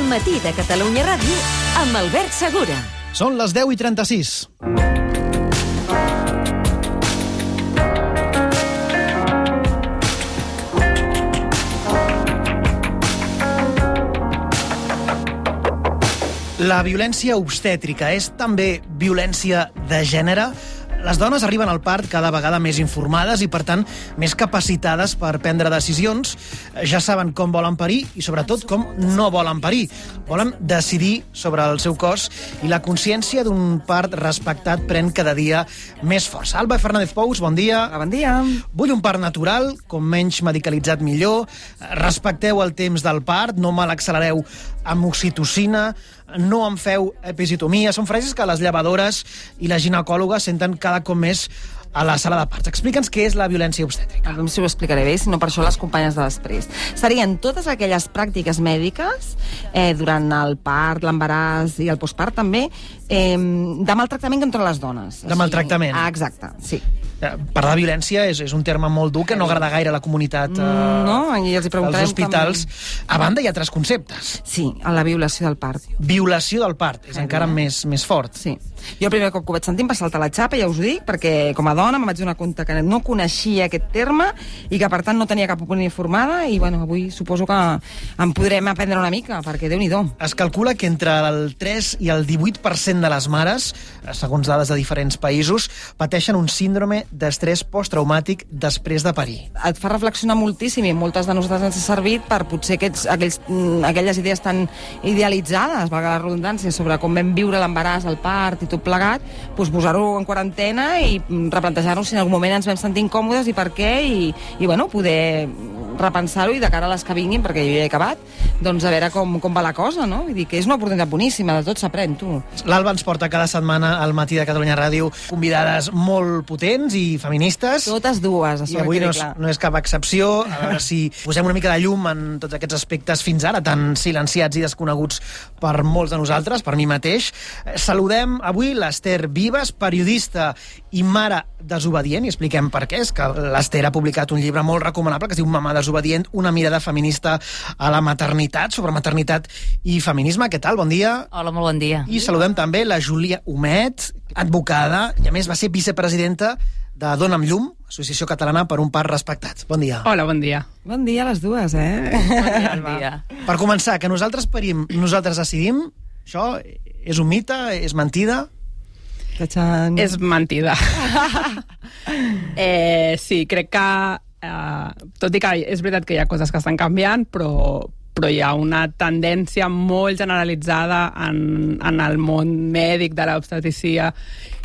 Matí de Catalunya Ràdio amb Albert Segura. Són les 10:36. La violència obstètrica és també violència de gènere? Les dones arriben al part cada vegada més informades i, per tant, més capacitades per prendre decisions. Ja saben com volen parir i, sobretot, com no volen parir. Volen decidir sobre el seu cos i la consciència d'un part respectat pren cada dia més força. Alba Fernández Pous, bon dia. Bon dia. Vull un part natural, com menys medicalitzat millor. Respecteu el temps del part, no me l'accelereu amb oxitocina, no em feu episiotomia. Són frases que les llevadores i les ginecòlogues senten cada cop més a la sala de parts. Explica'ns què és la violència obstètrica. No sé si ho explicaré bé, sinó per això les companyes de després. Serien totes aquelles pràctiques mèdiques durant el part, l'embaràs i el postpart també, de maltractament contra les dones. De maltractament. Exacte, sí. Parlar de violència és un terme molt dur que no agrada gaire a la comunitat no, i els hi preguntarem dels hospitals. A banda, hi ha altres conceptes. Sí, a la violació del part. Violació del part, és encara més fort. Sí. Jo el primer cop que ho vaig sentir em va saltar la xapa, ja us ho dic, perquè com a dona em vaig donar compte que no coneixia aquest terme i que per tant no tenia cap opinió informada i bueno, avui suposo que en podrem aprendre una mica, perquè Déu-n'hi-do. Es calcula que entre el 3 i el 18% de les mares, segons dades de diferents països, pateixen un síndrome d'estrès posttraumàtic després de parir. Et fa reflexionar moltíssim i moltes de nosaltres ens ha servit per potser aquelles idees tan idealitzades, valga la redundància, sobre com vam viure l'embaràs, el part i tot plegat, doncs posar-ho en quarantena i replantejar-nos si en algun moment ens vam sentir incòmodes i per què, i bueno, poder repensar-ho i de cara a les que vinguin, perquè jo ja he acabat, doncs a veure com va la cosa, no? Vull dir que és una oportunitat boníssima, de tot s'aprèn, tu. L'Alba ens porta cada setmana al Matí de Catalunya Ràdio convidades molt potents i feministes. Totes dues, i avui no és cap excepció. A veure si posem una mica de llum en tots aquests aspectes fins ara tan silenciats i desconeguts per molts de nosaltres, per mi mateix. Saludem avui l'Ester Vives, periodista i mare desobedient, i expliquem per què. És que l'Ester ha publicat un llibre molt recomanable que es diu Mamà desobedient, una mirada feminista a la maternitat, sobre maternitat i feminisme. Què tal? Bon dia. Hola, molt bon dia. I saludem també la Júlia Humet, advocada, i a més va ser vicepresidenta de Dona amb Llum, Associació Catalana per un Part Respectat. Bon dia. Hola, bon dia. Bon dia a les dues, Bon dia. Per començar, que nosaltres parim, nosaltres decidim, això és un mite, és mentida? És mentida. Sí, crec que tot i que és veritat que hi ha coses que estan canviant, però hi ha una tendència molt generalitzada en el món mèdic de l'obstetricia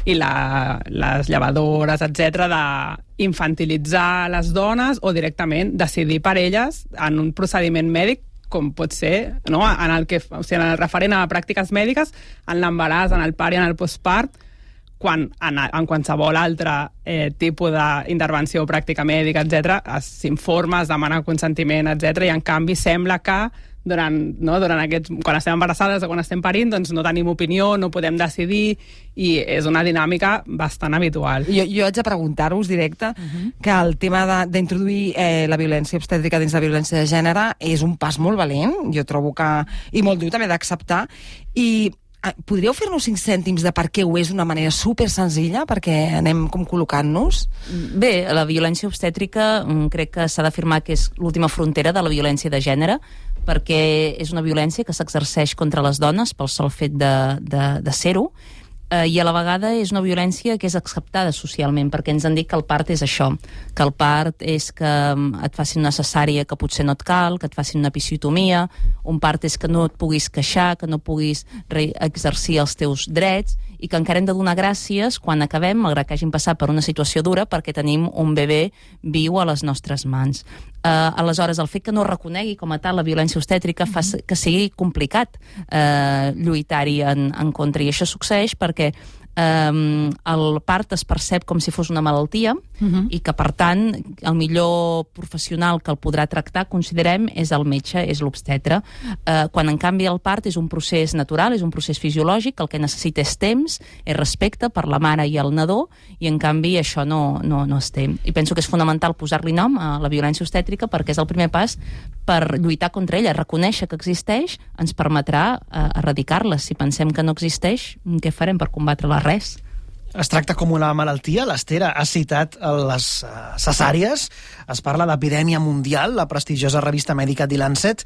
i les llevadores, etc., d'infantilitzar les dones o directament decidir per elles en un procediment mèdic com pot ser, no? En el referent a pràctiques mèdiques, en l'embaràs, en el part i en el postpart, quan en qualsevol altre tipus d'intervenció o pràctica mèdica, etc., s'informa, es demana consentiment, etc., i en canvi sembla que quan estem embarassades o quan estem parint, doncs no tenim opinió, no podem decidir, i és una dinàmica bastant habitual. Jo haig de preguntar-vos directe que el tema d'introduir la violència obstètrica dins la violència de gènere és un pas molt valent, jo trobo que, i molt dur també d'acceptar, i podríeu fer-nos 5 cèntims de per què ho és d'una manera super senzilla, perquè anem com col·locant-nos? Bé, la violència obstètrica crec que s'ha d'afirmar que és l'última frontera de la violència de gènere, perquè és una violència que s'exerceix contra les dones pel sol fet de ser-ho, i a la vegada és una violència que és acceptada socialment, perquè ens han dit que el part és això, que el part és que et facin una cesària que potser no et cal, que et facin una episiotomia, un part és que no et puguis queixar, que no puguis exercir els teus drets, i que encara hem de donar gràcies quan acabem, malgrat que hagin passat per una situació dura, perquè tenim un bebè viu a les nostres mans. Aleshores, el fet que no reconegui com a tal la violència obstètrica fa que sigui complicat lluitar-hi en contra, i això succeeix perquè el part es percep com si fos una malaltia i que, per tant, el millor professional que el podrà tractar, considerem, és el metge, és l'obstetre. Quan, en canvi, el part és un procés natural, és un procés fisiològic, el que necessita és temps, és respecte per la mare i el nadó, i, en canvi, això no es té. I penso que és fonamental posar-li nom a la violència obstètrica perquè és el primer pas per lluitar contra ella. Reconèixer que existeix ens permetrà erradicar-la. Si pensem que no existeix, què farem per combatre-la? Res. Es tracta com una malaltia. L'Ester ha citat les cesàries. Es parla d'epidèmia mundial. La prestigiosa revista mèdica The Lancet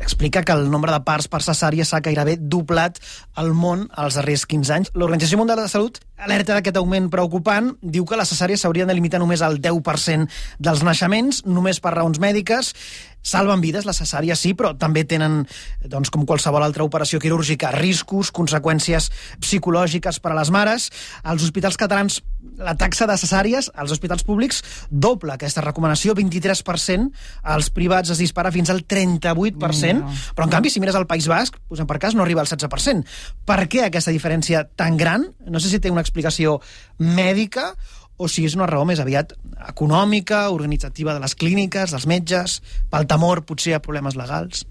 explica que el nombre de parts per cesària s'ha gairebé doblat al món els darrers 15 anys. L'Organització Mundial de la Salut alerta d'aquest augment preocupant. Diu que les cesàries s'haurien de limitar només al 10% dels naixements, només per raons mèdiques. Salven vides, les cesàries sí, però també tenen, doncs, com qualsevol altra operació quirúrgica, riscos, conseqüències psicològiques per a les mares. Als hospitals catalans, la taxa de cesàries, als hospitals públics, doble aquesta recomanació, 23%, als privats es dispara fins al 38%, però en canvi, si mires al País Basc, posem per cas, no arriba al 16%. Per què aquesta diferència tan gran? No sé si té una explicació mèdica o si és una raó més aviat econòmica, organitzativa de les clíniques, dels metges, pel temor potser a problemes legals.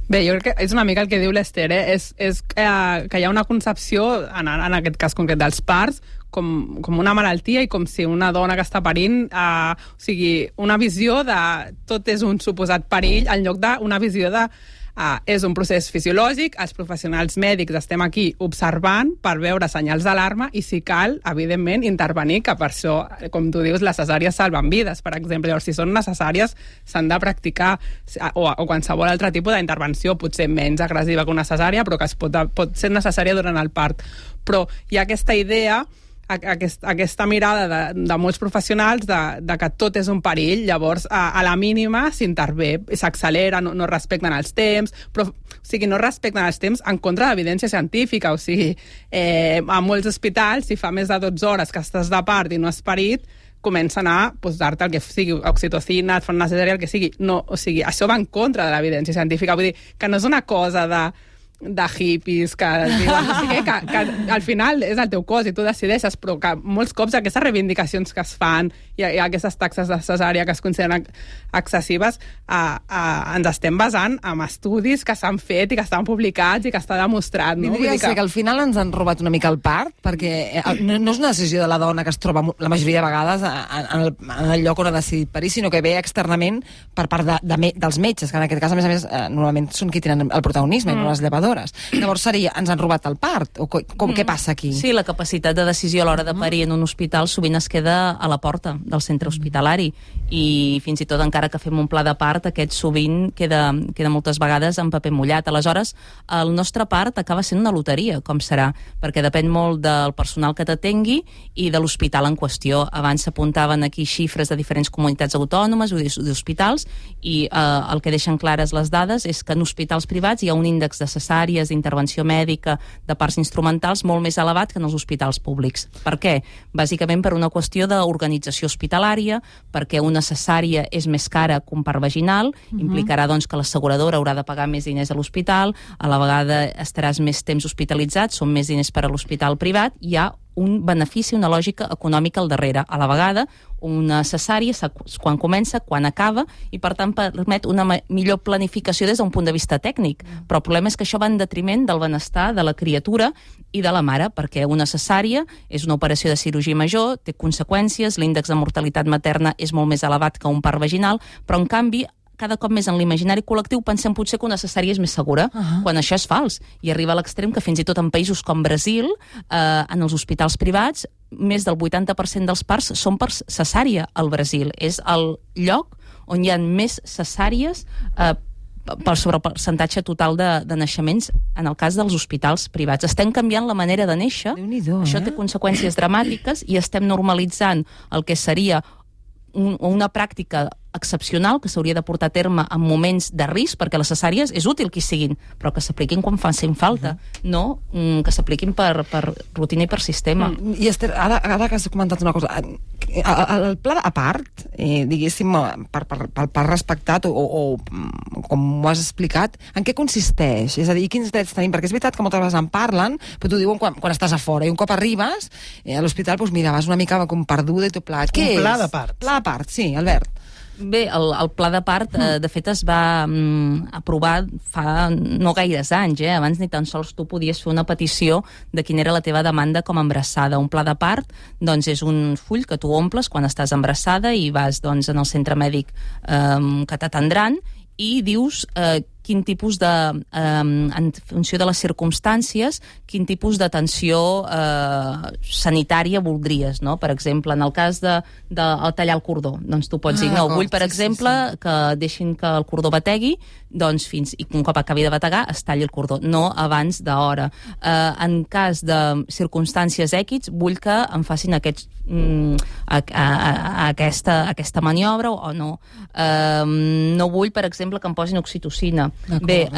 Bé, jo crec que és una mica el que diu l'Ester, és que hi ha una concepció, en aquest cas concret dels parts, com una malaltia i com si una dona que està parint, o sigui, una visió de tot és un suposat perill en lloc d'una visió de és un procés fisiològic, els professionals mèdics estem aquí observant per veure senyals d'alarma i, si cal, evidentment, intervenir, que per això, com tu dius, les cesàries salven vides, per exemple. Llavors, si són necessàries, s'han de practicar, o qualsevol altre tipus d'intervenció, potser menys agressiva que una cesària, però que pot ser necessària durant el part. Però hi ha aquesta idea, aquesta mirada de molts professionals de que tot és un perill, llavors a la mínima s'intervé, s'accelera, no respecten els temps, però, o sigui, no respecten els temps en contra de l'evidència científica, o sigui, a molts hospitals, si fa més de 12 hores que estàs de part i no has parit, comencen a posar-te el que sigui oxitocina, et fan una cesària, el que sigui. No, o sigui, això va en contra de l'evidència científica, vull dir que no és una cosa de hippies que diuen, no sé què, que al final és el teu cos i tu decideixes, però que molts cops aquestes reivindicacions que es fan i aquestes taxes de cesària que es consideren excessives ens estem basant en estudis que s'han fet i que estan publicats i que està demostrat. No? Diria que al final ens han robat una mica el part, perquè no és una decisió de la dona que es troba la majoria de vegades en el lloc on ha decidit parir, sinó que ve externament per part dels metges, que en aquest cas, a més, normalment són qui tenen el protagonisme, no les llevadores. Llavors ens han robat el part? O què passa aquí? Sí, la capacitat de decisió a l'hora de parir en un hospital sovint es queda a la porta del centre hospitalari i fins i tot encara que fem un pla de part, aquest sovint queda moltes vegades en paper mullat. Aleshores, el nostre part acaba sent una loteria, com serà, perquè depèn molt del personal que t'atengui i de l'hospital en qüestió. Abans s'apuntaven aquí xifres de diferents comunitats autònomes o d'hospitals i el que deixen clares les dades és que en hospitals privats hi ha un índex de cesàries, d'intervenció mèdica, de parts instrumentals molt més elevat que en els hospitals públics. Per què? Bàsicament per una qüestió d'organització hospitalària, perquè una cesària és més cara que un part vaginal, implicarà doncs que l'asseguradora haurà de pagar més diners a l'hospital, a la vegada estaràs més temps hospitalitzat, són més diners per a l'hospital privat, hi ha un benefici, una lògica econòmica al darrere. A la vegada, una cesària quan comença, quan acaba, i per tant permet una millor planificació des d'un punt de vista tècnic. Però el problema és que això va en detriment del benestar de la criatura i de la mare, perquè una cesària és una operació de cirurgia major, té conseqüències, l'índex de mortalitat materna és molt més elevat que un part vaginal, però en canvi cada cop més en l'imaginari col·lectiu pensem potser que una cesària és més segura, quan això és fals. I arriba a l'extrem que fins i tot en països com Brasil, en els hospitals privats, més del 80% dels parts són per cesària al Brasil. És el lloc on hi ha més cesàries sobre el percentatge total de naixements en el cas dels hospitals privats. Estem canviant la manera de néixer, això té conseqüències dramàtiques i estem normalitzant el que seria una pràctica excepcional que s'hauria de portar a terme en moments de risc, perquè les cesàries és útil que hi siguin, però que s'apliquin quan facin falta, no que s'apliquin per rutina i per sistema. I Ester, ara que has comentat una cosa, El pla a part, diguéssim, pel part respectat o com ho has explicat, en què consisteix? És a dir, quins drets tenim? Perquè és veritat que moltes vegades en parlen, però t'ho diuen quan estàs a fora, i un cop arribes a l'hospital, doncs mira, vas una mica com perduda i tot plegat. Què és? Un pla de part. Pla de part, sí, Albert. Bé, el pla de part, de fet, es va aprovar fa no gaires anys. Abans ni tan sols tu podies fer una petició de quina era la teva demanda com a embarassada. Un pla de part, doncs, és un full que tu omples quan estàs embarassada i vas, doncs, en el centre mèdic que t'atendran i dius quin tipus de, en funció de les circumstàncies, quin tipus d'atenció sanitària voldries, no? Per exemple, en el cas de tallar el cordó, doncs tu pots dir, no, vull, per exemple, que deixin que el cordó bategui, doncs fins, i un cop acabi de bategar es talli el cordó, no abans d'hora. En cas de circumstàncies èquids, vull que em facin aquesta maniobra o no. No vull, per exemple, que em posin oxitocina. Bé,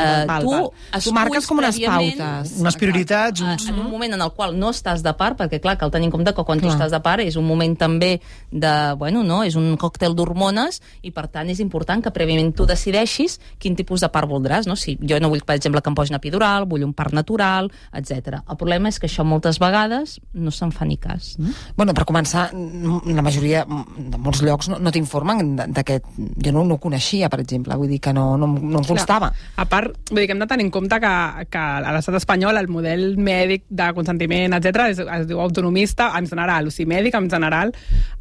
tu marques com unes pautes. Unes prioritats. En un moment en el qual no estàs de part, perquè clar, cal tenir en compte que quan tu estàs de part és un moment també de, bueno, no, és un còctel d'hormones i per tant és important que prèviament tu decideixis quin tipus de part voldràs, no? Si jo no vull, per exemple, que em posin epidural, vull un part natural, etc. El problema és que això moltes vegades no se'n fa ni cas. No? Bueno, per començar, la majoria de molts llocs no t'informen d'aquest... Jo no ho coneixia, per exemple, vull dir que no em constava. A part, vull dir que hem de tenir en compte que a l'estat espanyol el model mèdic de consentiment, etc., es diu autonomista en general, o sigui, mèdic en general,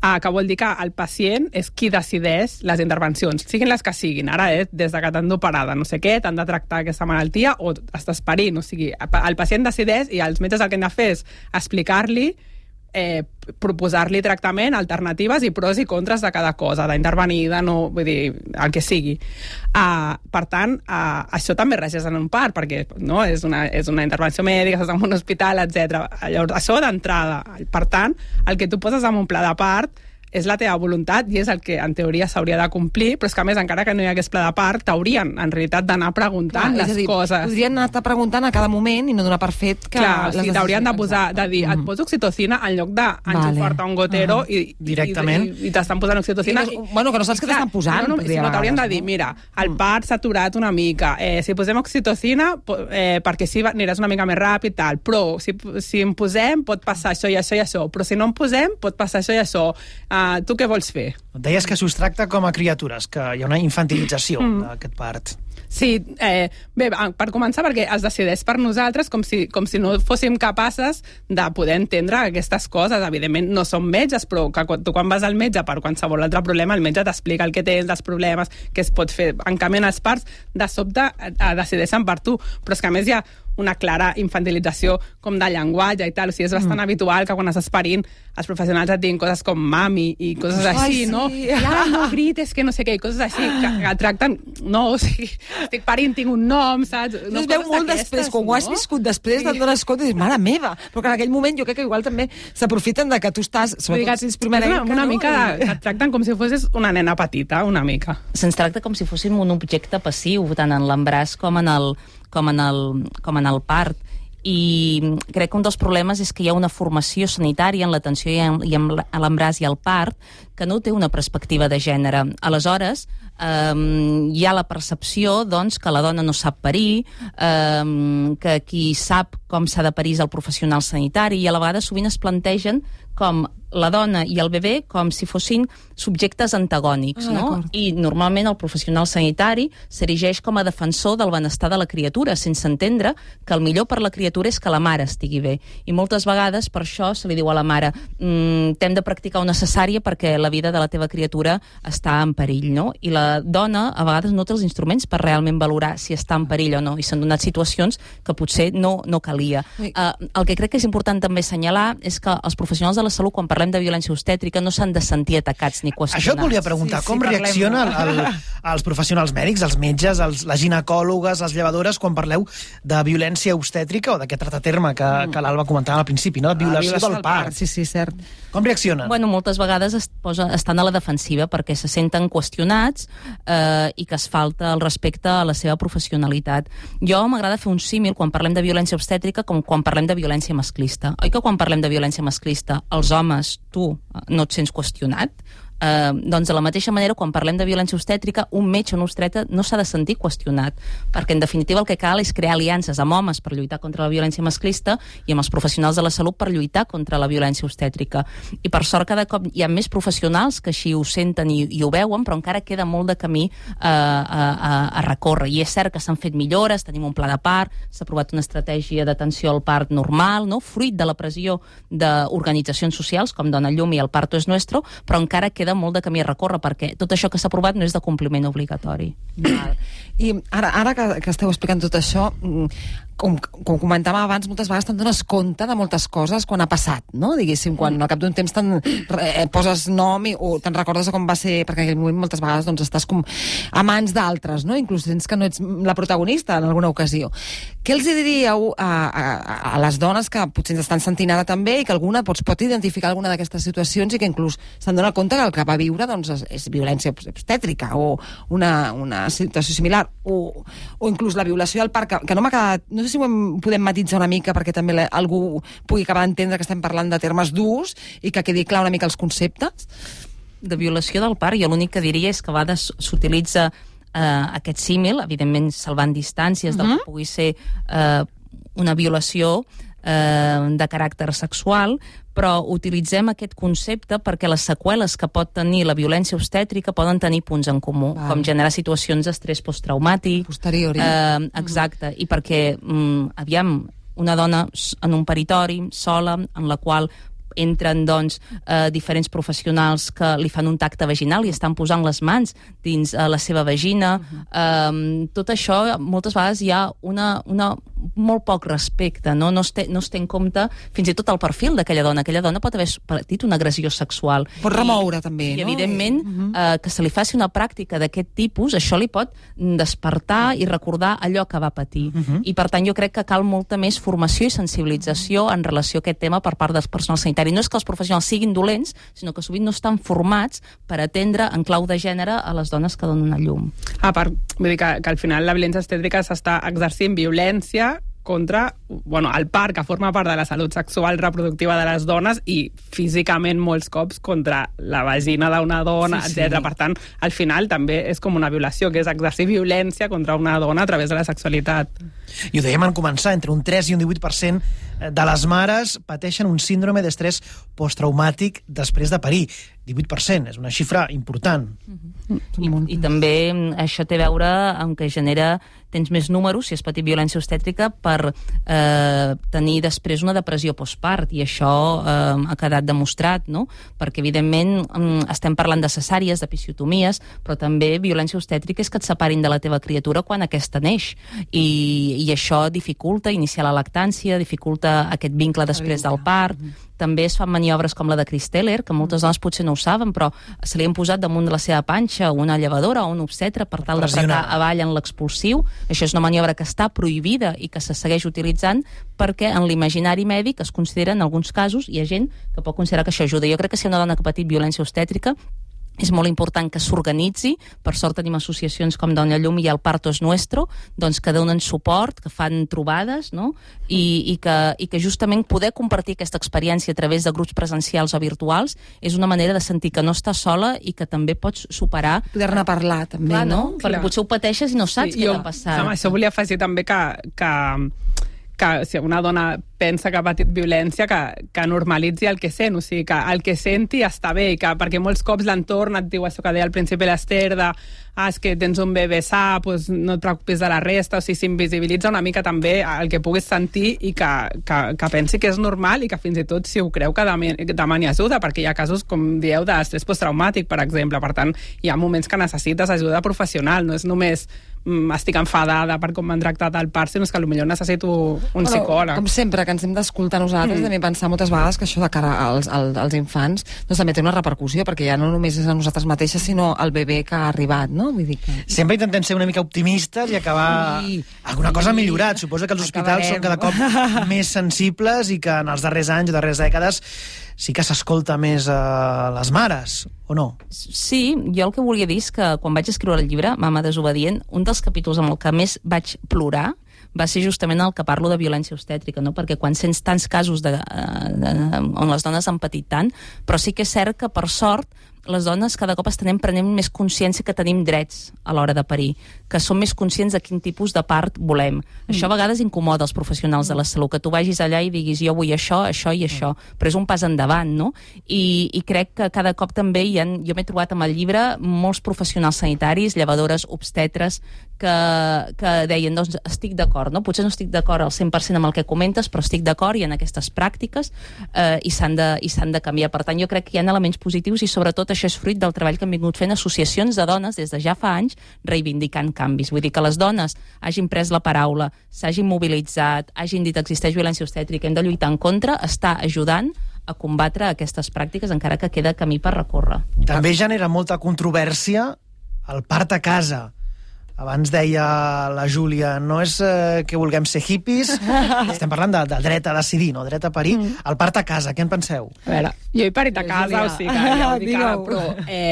que vol dir que el pacient és qui decideix les intervencions, siguin les que siguin. Ara, des de que t'han d'operar no sé què, t'han de tractar aquesta malaltia o estàs parint, o sigui, el pacient decideix i els metges el que han de fer és explicar-li, proposar-li tractament, alternatives i pros i contres de cada cosa, d'intervenir, de no, vull dir, el que sigui. Per tant, això també regeix en un part, perquè no, és una intervenció mèdica, estàs en un hospital, etc. Llavors, això d'entrada. Per tant, el que tu poses en un pla de part és la teva voluntat i és el que en teoria s'hauria de complir, però és que a més, encara que no hi hagués pla de part, t'haurien en realitat d'anar preguntant les coses. Podrien anar preguntant a cada moment i no donar per fet que... Clar, o sigui, t'haurien de posar, de dir, et poso oxitocina en lloc d'enxufar-te un gotero directament i t'estan posant oxitocina. Bueno, que no saps què t'estan posant. Sinó t'haurien de dir, mira, el part s'ha aturat una mica, si posem oxitocina, perquè així aniràs una mica més ràpid, tal, però si en posem pot passar això i això i això, però si no en posem pot passar això i això. Tu què vols fer? Deies que s'us tracta com a criatures, que hi ha una infantilització d'aquest part. Sí, bé, per començar, perquè es decideix per nosaltres com si no fóssim capaces de poder entendre aquestes coses. Evidentment no som metges, però que tu quan vas al metge per qualsevol altre problema, el metge t'explica el que tens, els problemes, què es pot fer. En canvi, en els parts, de sobte decideixen per tu. Però és que a més hi ha una clara infantilització com de llenguatge i tal. O sigui, és bastant habitual que quan estàs parint els professionals et diguin coses com mami i coses així, no? Ja, no grites, que no sé què, i coses així que tracten... No, o sigui, estic parint, tinc un nom, saps? No, es veu molt després, quan ho has viscut després, te'n dones compte i dius, mare meva, però que en aquell moment jo crec que igual també s'aprofiten de que tu estàs, sobretot si ets primerenca, una mica et tracten com si fossis una nena petita, una mica. Se'ns tracta com si fóssim un objecte passiu, tant en l'embaràs com en el part. I crec que un dels problemes és que hi ha una formació sanitària en l'atenció i en l'embaràs i el part que no té una perspectiva de gènere. Aleshores, hi ha la percepció doncs, que la dona no sap parir, que qui sap com s'ha de parir és el professional sanitari, i a la vegada sovint es plantegen com la dona i el bebè com si fossin subjectes antagònics, no? I normalment el professional sanitari s'erigeix com a defensor del benestar de la criatura, sense entendre que el millor per la criatura és que la mare estigui bé. I moltes vegades per això se li diu a la mare t'hem de practicar una cesària perquè la vida de la teva criatura està en perill, no? I la dona a vegades no té els instruments per realment valorar si està en perill o no, i s'han donat situacions que potser no calia. El que crec que és important també assenyalar és que els professionals de la salut, quan parlem de violència obstètrica, no s'han de sentir atacats ni qüestionats. Això et volia preguntar, com reaccionen els professionals mèdics, els metges, les ginecòlogues, les llevadores, quan parleu de violència obstètrica o d'aquest terme que l'Alba comentava al principi, no? Violació del part. Sí, cert. Com reaccionen? Bueno, moltes vegades estan a la defensiva perquè se senten qüestionats i que es falta el respecte a la seva professionalitat. Jo m'agrada fer un símil quan parlem de violència obstètrica com quan parlem de violència masclista. Oi que quan parlem de violència masclista els homes doncs tu no et sents qüestionat, doncs de la mateixa manera, quan parlem de violència obstètrica, un metge o una obstetra no s'ha de sentir qüestionat, perquè en definitiva el que cal és crear aliances amb homes per lluitar contra la violència masclista i amb els professionals de la salut per lluitar contra la violència obstètrica. I per sort cada cop hi ha més professionals que així ho senten i ho veuen, però encara queda molt de camí a recórrer. I és cert que s'han fet millores, tenim un pla de part, s'ha aprovat una estratègia d'atenció al part normal, no? Fruit de la pressió d'organitzacions socials com Dona Llum i El Parto es Nuestro, però encara queda molt de camí a recórrer, perquè tot això que s'ha aprovat no és de compliment obligatori. I ara que esteu explicant tot això, com comentàvem abans, moltes vegades te'n dones compte de moltes coses quan ha passat, no? Diguéssim, quan al cap d'un temps poses nom o te'n recordes de com va ser, perquè en aquell moment moltes vegades doncs, estàs com a mans d'altres, no? Inclús sents que no ets la protagonista en alguna ocasió. Què els diríeu a les dones que potser ens estan sentint ara també i que alguna pot identificar alguna d'aquestes situacions i que inclús se'n dona compte que el que va viure doncs, és violència obstètrica o una situació similar o inclús la violació del part, que no m'ha quedat... No sé si ho podem matitzar una mica perquè també algú pugui acabar d'entendre que estem parlant de termes durs i que quedi clar una mica els conceptes. De violació del part, jo l'únic que diria és que a vegades s'utilitza aquest símil, evidentment salvant distàncies del que pugui ser una violació de caràcter sexual, però utilitzem aquest concepte perquè les seqüeles que pot tenir la violència obstètrica poden tenir punts en comú, com generar situacions d'estrès posttraumàtic. Posteriori. Exacte, i perquè, aviam, una dona en un peritori, sola, en la qual entren doncs, diferents professionals que li fan un tacte vaginal i estan posant les mans dins la seva vagina. Tot això, moltes vegades hi ha una molt poc respecte, no es té en compte fins i tot el perfil d'aquella dona. Aquella dona pot haver patit una agressió sexual. Pot remoure, també, no? I evidentment, que se li faci una pràctica d'aquest tipus, això li pot despertar i recordar allò que va patir. I, per tant, jo crec que cal molta més formació i sensibilització en relació a aquest tema per part del personal sanitari. No és que els professionals siguin dolents, sinó que sovint no estan formats per atendre en clau de gènere a les dones que donen a llum. A part, vull dir que al final la violència obstètrica s'està exercint violència contra el part que forma part de la salut sexual reproductiva de les dones i físicament molts cops contra la vagina d'una dona, etc. Per tant, al final també és com una violació, que és exercir violència contra una dona a través de la sexualitat. I ho dèiem en començar, entre un 3 i un 18% de les mares pateixen un síndrome d'estrès posttraumàtic després de parir. 18%, és una xifra important. I també això té a veure amb que tens més números, si has patit violència obstètrica, per tenir després una depressió postpart, i això ha quedat demostrat, no? Perquè, evidentment, estem parlant de cesàries, d'episiotomies, però també violència obstètrica és que et separin de la teva criatura quan aquesta neix. I això dificulta iniciar la lactància, dificulta aquest vincle després del part. També es fan maniobres com la de Chris Teller, que moltes dones potser no ho saben, però se li han posat damunt de la seva panxa una llevadora o un obstetre per tal d'apretar avall en l'expulsiu. Això és una maniobra que està prohibida i que se segueix utilitzant perquè en l'imaginari mèdic es considera, en alguns casos, hi ha gent que pot considerar que això ajuda. Jo crec que si una dona que ha patit violència obstètrica és molt important que s'organitzi. Per sort tenim associacions com Dona Llum i El Parto es Nuestro, doncs, que donen suport, que fan trobades, no? I que justament poder compartir aquesta experiència a través de grups presencials o virtuals és una manera de sentir que no estàs sola i que també pots superar... Poder-ne parlar, també, clar, no? Perquè potser ho pateixes i no saps què t'ha passat. Amb això volia afegir també que si una dona pensa que ha patit violència, que normalitzi el que sent, o sigui, que el que senti està bé, i perquè molts cops l'entorn et diu això que deia al principi l'Ester, és que tens un bebè sa, doncs no et preocupis de la resta, o sigui, s'invisibilitza una mica també el que puguis sentir i que pensi que és normal i que fins i tot, si ho creu, que demani ajuda, perquè hi ha casos, com dieu, d'estrès posttraumàtic, per exemple. Per tant, hi ha moments que necessites ajuda professional, no és només estic enfadada per com m'han tractat al part, sinó que potser necessito un psicòleg. Com sempre, que ens hem d'escoltar nosaltres, també pensar moltes vegades que això de cara als infants doncs també té una repercussió, perquè ja no només és a nosaltres mateixes, sinó al bebè que ha arribat, no? Vull dir que... Sempre intentem ser una mica optimistes i acabar... Alguna cosa ha millorat. Suposo que els hospitals són cada cop més sensibles i que en els darrers anys o darreres dècades sí que s'escolta més a les mares, o no? Sí, jo el que volia dir és que quan vaig escriure el llibre, Mama desobedient, un dels capítols amb el que més vaig plorar va ser justament el que parlo de violència obstètrica, no? Perquè quan sents tants casos on les dones han patit tant, però sí que és cert que, per sort, les dones cada cop estem prenent més consciència que tenim drets a l'hora de parir, que som més conscients de quin tipus de part volem. Això a vegades incomoda els professionals de la salut, que tu vagis allà i diguis jo vull això, això i això, però és un pas endavant, no? I crec que cada cop també jo m'he trobat amb el llibre molts professionals sanitaris, llevadores, obstetres, que deien, doncs estic d'acord, no? Potser no estic d'acord al 100% amb el que comentes, però estic d'acord i en aquestes pràctiques i s'han de canviar. Per tant, jo crec que hi ha elements positius i sobretot això és fruit del treball que han vingut fent associacions de dones des de ja fa anys reivindicant canvis. Vull dir que les dones hagin pres la paraula, s'hagin mobilitzat, hagin dit existeix violència obstètrica, hem de lluitar en contra, està ajudant a combatre aquestes pràctiques, encara que queda camí per recórrer. També genera molta controvèrsia el part a casa. Abans deia la Júlia, no és que vulguem ser hippies, estem parlant del dret a decidir, no? Dret a parir. El part a casa, què en penseu? A veure, jo he parit a casa, o sigui, ja ho dic ara, però,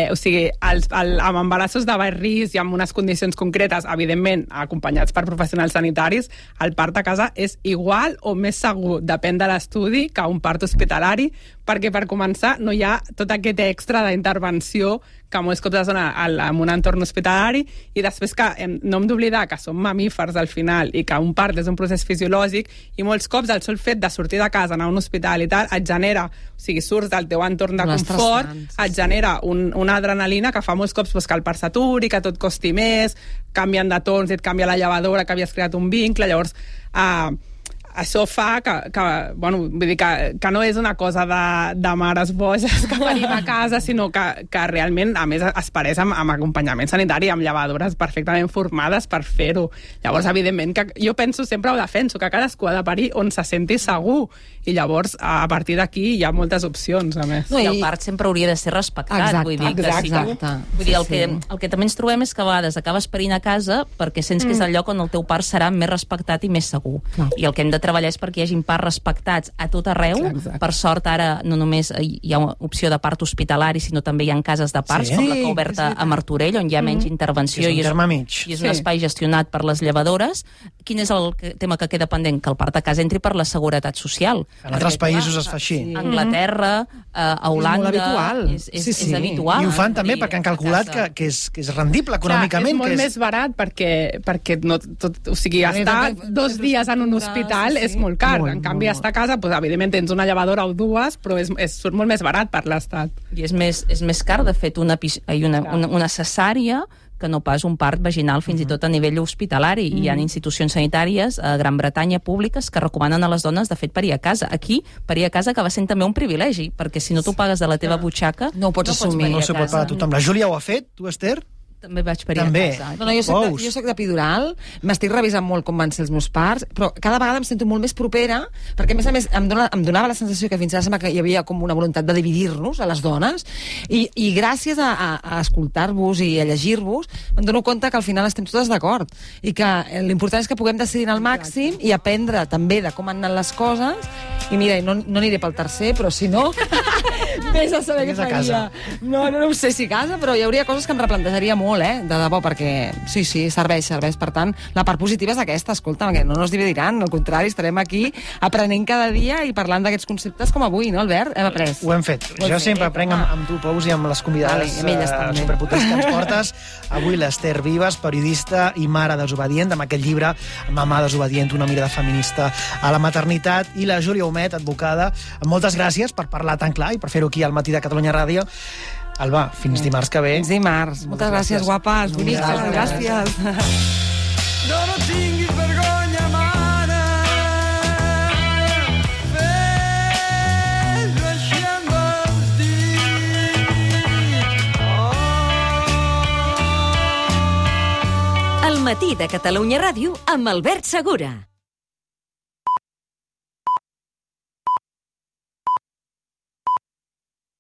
o sigui, amb embarassos de baix risc i amb unes condicions concretes, evidentment, acompanyats per professionals sanitaris, el part a casa és igual o més segur, depèn de l'estudi, que un part hospitalari, perquè per començar no hi ha tot aquest extra d'intervenció que molts cops es dona en un entorn hospitalari, i després que no hem d'oblidar que som mamífers al final i que un part és un procés fisiològic, i molts cops el sol fet de sortir de casa, anar a un hospital i tal, et genera, o sigui, surts del teu entorn de confort, et genera una adrenalina que fa molts cops que el part s'aturi, que tot costi més, canvien de torns i et canvia la llevadora, que havies creat un vincle, llavors això fa bueno, vull dir que no és una cosa de mares boges que venim a casa, sinó que realment, a més, es pareix amb acompanyament sanitari, amb llevadores perfectament formades per fer-ho. Llavors, evidentment, que jo sempre ho defenso, que cadascú ha de parir on se senti segur, i llavors, a partir d'aquí, hi ha moltes opcions, a més. No, i el part sempre hauria de ser respectat. Vull dir que el que també ens trobem és que a vegades acabes parint a casa perquè sents que és el lloc on el teu part serà més respectat i més segur. I el que hem de treballar és perquè hi hagin parts respectats a tot arreu. Per sort, ara no només hi ha opció de part hospitalari, sinó també hi ha cases de parts, com la que ha oberta a Martorell, on hi ha menys intervenció i és un espai gestionat per les llevadores. Quin és el tema que queda pendent? Que el part a casa entri per la seguretat social. En altres països es fa així. A Anglaterra, a Holanda... És molt habitual. És habitual. I ho fan també perquè han calculat que és rendible econòmicament. És molt més barat perquè no tot, o sigui, estar 2 dies en un hospital és molt car. En canvi, estar a casa, evidentment tens una llevadora o 2, però surt molt més barat per l'Estat. I és més car, de fet, una cesària que no pas un part vaginal, fins i tot a nivell hospitalari. Hi ha institucions sanitàries a Gran Bretanya públiques que recomanen a les dones, de fet, parir a casa. Aquí, parir a casa acaba sent també un privilegi, perquè si no t'ho pagues de la teva butxaca, no ho pots assumir. No s'ho pot pagar tothom. La Júlia ho ha fet, tu, Esther? També vaig parir a casa. No, jo soc d'epidural, m'estic revisant molt com van ser els meus parts, però cada vegada em sento molt més propera, perquè a més em donava la sensació que fins ara sembla que hi havia com una voluntat de dividir-nos a les dones, i gràcies a escoltar-vos i a llegir-vos em dono compte que al final estem totes d'acord, i que l'important és que puguem decidir al màxim i aprendre també de com han anat les coses. I mira, no aniré pel tercer, però si no vés a saber què faria. No ho sé si a casa, però hi hauria coses que em replantejaria molt, de debò, perquè sí, serveix. Per tant, la part positiva és aquesta, escolta, que no ens dividiran, al contrari, estarem aquí aprenent cada dia i parlant d'aquests conceptes com avui, no, Albert? Hem après. Ho hem fet. Jo sempre aprenc amb tu, Pous, i amb les convidades superpotents que ens portes. Avui l'Esther Vives, periodista i mare desobedient, amb aquest llibre Mamà desobedient, una mirada feminista a la maternitat, i la Júlia Humet, advocada. Moltes gràcies per parlar tan clar i per fer-ho aquí al Matí de Catalunya Ràdio. Alba, fins dimarts que ve. Fins dimarts. Moltes gràcies, guapes. Bonistes, gràcies. No tinguis vergonya, mare. Fes-ho així amb els dits. El Matí de Catalunya Ràdio amb Albert Segura.